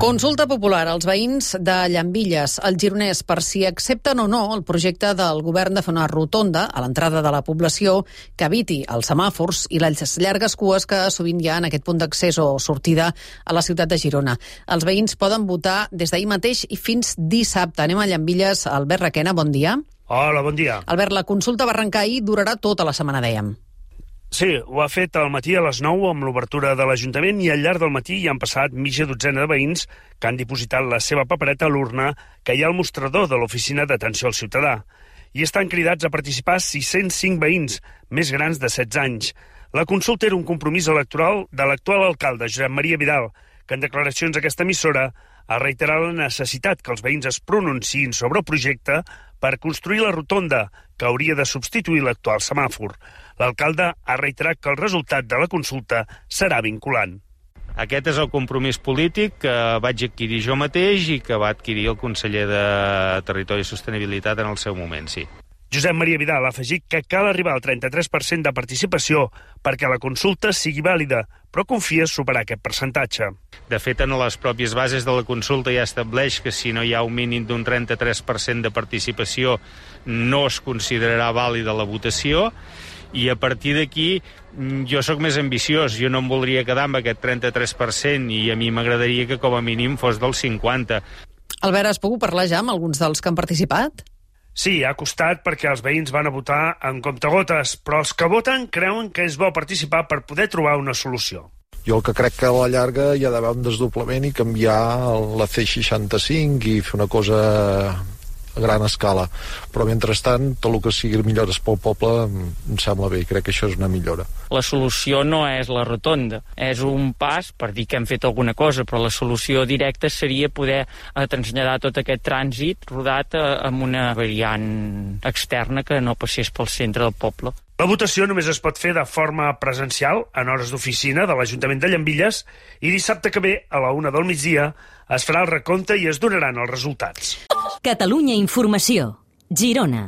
Consulta popular als veïns de Llambilles, al Gironès, per si accepten o no el projecte del govern de fer una rotonda a l'entrada de la població que eviti els semàfors i les llargues cues que sovint hi ha en aquest punt d'accés o sortida a la ciutat de Girona. Els veïns poden votar des d'ahir mateix i fins dissabte. Anem a Llambilles. Albert Requena, bon dia. Hola, bon dia. Albert, la consulta va arrencar ahir, durarà tota la setmana, dèiem. Sí, ho ha fet al matí a les 9 amb l'obertura de l'Ajuntament i al llarg del matí hi han passat mitja dotzena de veïns que han dipositat la seva papereta a l'urna que hi ha al mostrador de l'Oficina d'Atenció al Ciutadà. I estan cridats a participar 605 veïns, més grans de 16 anys. La consulta era un compromís electoral de l'actual alcalde, Josep Maria Vidal, que en declaracions a aquesta emissora ha reiterat la necessitat que els veïns es pronunciïn sobre el projecte per construir la rotonda que hauria de substituir l'actual semàfor. L'alcalde ha reiterat que el resultat de la consulta serà vinculant. Aquest és el compromís polític que vaig adquirir jo mateix i que va adquirir el conseller de Territori i Sostenibilitat en el seu moment, sí. Josep Maria Vidal ha afegit que cal arribar al 33% de participació perquè la consulta sigui vàlida, però confia superar aquest percentatge. De fet, en les pròpies bases de la consulta ja estableix que si no hi ha un mínim d'un 33% de participació no es considerarà vàlida la votació, i a partir d'aquí jo sóc més ambiciós, jo no em voldria quedar amb aquest 33% i a mi m'agradaria que com a mínim fos del 50%. Albert, has pogut parlar ja amb alguns dels que han participat? Sí, ha costat perquè els veïns van a votar en comptagotes, però els que voten creuen que és bo participar per poder trobar una solució. Jo el que crec que a la llarga hi ha d'haver un desdoblament i canviar la C65 i fer una cosa a gran escala, però mentrestant tot el que sigui millores pel poble em sembla bé, crec que això és una millora. La solució no és la rotonda, és un pas per dir que hem fet alguna cosa, però la solució directa seria poder traslladar tot aquest trànsit rodat amb una variant externa que no passés pel centre del poble. La votació només es pot fer de forma presencial en hores d'oficina de l'Ajuntament de Llambilles i dissabte que ve a la 1 del migdia es farà el recompte i es donaran els resultats. Catalunya Informació, Girona.